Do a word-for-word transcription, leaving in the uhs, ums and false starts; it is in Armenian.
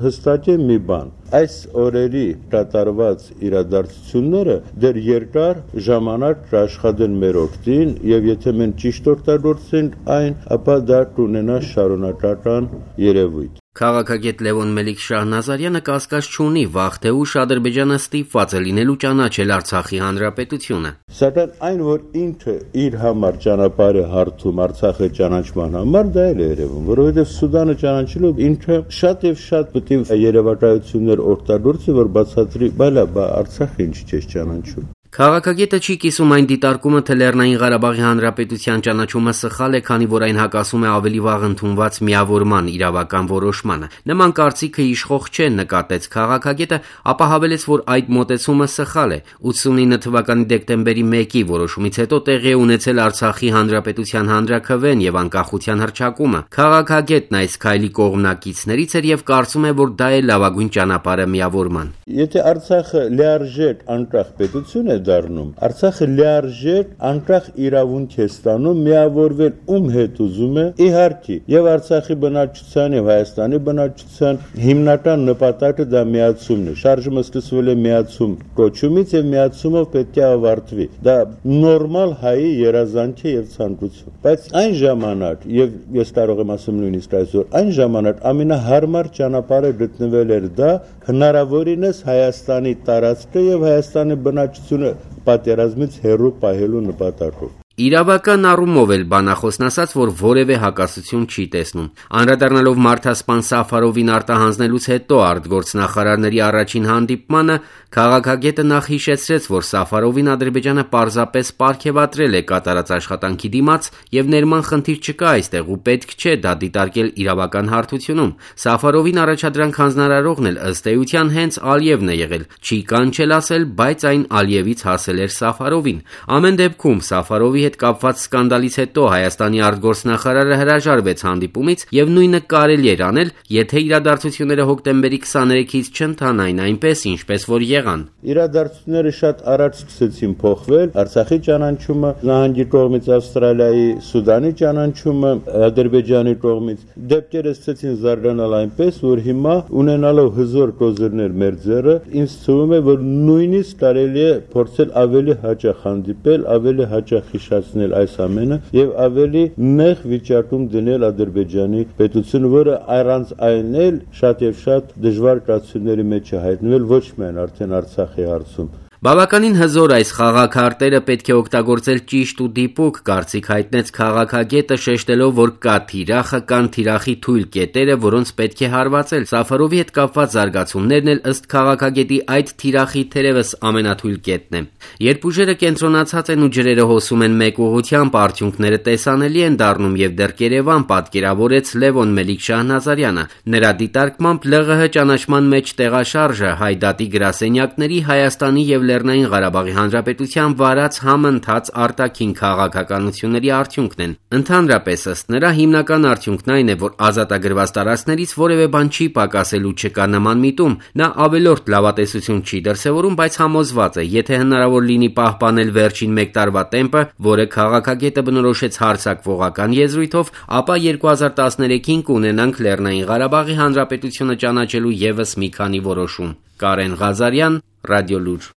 Հստակ է մի բան, այս օրերի կատարված իրադարձությունները դեռ երկար ժամանակ կաշխատեն մեր օգտին եւ եթե մենք ճիշտ օգտագործենք այն, ապա դա կունենա շարունակական երևույթ։ Քաղաքագետ Լևոն Մելիք-Շահնազարյանը կասկած չունի վաղ թե ուշ Ադրբեջանը ստիպված է լինելու ճանաչել Արցախի հանրապետությունը։ Սակայն այն, որ ինքը իր համար ճանապարհ է հարթում Արցախի ճանաչման համար, դա էլ է երևում, որովհետև Սուդանը ճանաչելով ինքը շատ եւ շատ պետք է երևակայություններ օգտագործի, որ բացատրի, բայլա, բա Արցախը ինչի՞ չէ ճանաչում։ Քաղաքագետը չի կիսում այն դիտարկումը, թե Լեռնային Ղարաբաղի Հանրապետության ճանաչումը սխալ է, քանի որ այն հակասում է ավելի վաղ ընդունված միավորման իրավական որոշմանը։ Նման կարծիքը իշխող չէ, նկատեց քաղաքագետը, ապա հավելեց, որ այդ մոտեցումը սխալ է։ ութսունինը թվականի դեկտեմբերի մեկի որոշումից հետո տեղի է ունեցել Արցախի Հանրապետության հանրաքվեն եւ անկախության հռչակումը։ Քաղաքագետն այս քայլի կողմնակիցներից էր եւ կարծում է, որ դա է լավագույն ճանապարհը միավորման։ Եթե Արցախը լիարժեք անկախ պետություն է դառնում, Արցախը լիարժեք անկախ իրավունք է ստանում միավորվել ում հետ ուզում է, իհարկե, եւ Արցախի բնակչության եւ Հայաստանի բնակչության հիմնական նպատակը դա միացումն է։ Շարժումը սկսվել է միացում կոչումից եւ միացումով պետք է ավարտվի։ Դա նորմալ հայի երազանք է եւ ցանկություն։ Բայց այն ժամանակ, եւ ես կարող եմ ասեմ նույնիսկ այսօր, այն ժամանակ ամենահարմար ճանապարհը գտնվել էր դա հնարավորինս Հայաստանի տարածքը եւ Հայաստանի բնակչությունը պատերազմից հեռու պահելու նպատակով։ Իրավական առումով էլ բանախոսն ասաց, որ որևէ հակասություն չի տեսնում։ Անդրադառնալով մարդասպան Սաֆարովին արտահանձնելուց հետո արտգործնախարարների առաջին հանդիպմանը, քաղաքագետը նախ հիշեցրեց, որ Սաֆարովին Ադրբեջանը պարզապես պարգևատրել է կատարած աշխատանքի դիմաց եւ ներման խնդիր չկա այստեղ ու պետք չէ դա դիտարկել իրավական հարթությունում։ Սաֆարովին առաջադրանք հանձնարարողն էլ ըստ էության հենց Ալիևն է եղել։ Չի կանչել ասել, բայց այն Ալիևից հասել էր Սաֆարովին։ Ամեն դեպքում Սաֆարովի հետ կապված սկանդալից հետո Հայաստանի արտգործնախարարը հրաժարվեց հանդիպումից եւ նույնը կարելի էր անել, եթե իրադարձությունները հոկտեմբերի քսաներեքից չընթանային այնպես, ինչպես որ եղան։ Իրադարձությունները շատ առաջ սկսեցին փոխվել, Արցախի ճանաչումը նահանգի կողմից, Ավստրալիայի, Սուդանի ճանաչումը Ադրբեջանի կողմից, դեպքերը սկսեցին զարգանալ այնպես, որ հիմա ունենալով հզոր կոզիրներ մեր ձեռը, ինձ թվում է, որ նույնիսկ կարելի է փորձել ավելի հաճախ հանդիպել, ավելի հաճախ հիշեցնել այս ամենը եւ ավելի նեղ վիճակում դնել Ադրբեջանի պետությունը, որը առանց այն էլ շատ եւ շատ դժվար կացությունների մեջ է հայտնվել ոչ միայն արդեն Արցախի հարցում։ Բավականին հզոր այս խաղաքարտերը պետք է օգտագործել ճիշտ ու դիպուկ, կարծիք հայտնեց քաղաքագետը, շեշտելով, որ կա թիրախը, կան թիրախի թույլ կետերը, որոնց պետք է հարվածել։ Սաֆարովի հետ կապված զարգացումներն էլ ըստ քաղաքագետի այդ թիրախի թերևս ամենաթույլ կետն է։ Երբ ուժերը կենտրոնացած են ու ջրերը հոսում են մեկ ուղղությամբ, արդյունքները տեսանելի են դառնում եւ դեռ Երևան պատկերավորեց Լևոն Մելիք-Շահնազարյանը։ Նրա դիտարկմամբ ԼՂՀ ճանաչման մեջ տեղաշարժը հայդատի գրասենյակների Հայաստանի եւ Լեռնային Ղարաբաղի Հանրապետության վարած համընթաց արտաքին քաղաքականությունների արդյունքն են։ Ընդհանրապես ըստ նրա հիմնական արդյունքն այն է, որ ազատագրված տարածքներից որևէ բան չի պակասելու, չկա նման միտում։ Նա ավելորդ լավատեսություն չի դրսևորում, բայց համոզված է, եթե հնարավոր լինի պահպանել վերջին մեկ տարվա տեմպը, որը քաղաքագետը բնորոշեց հարձակվողական եզրույթով, ապա երկու հազար տասներեքին կունենանք Լեռնային Ղարաբաղի Հանրապետությունը ճանաչելու եւս մի քանի որոշում։ Կարեն Ղազարյան, Ռադիոլուր։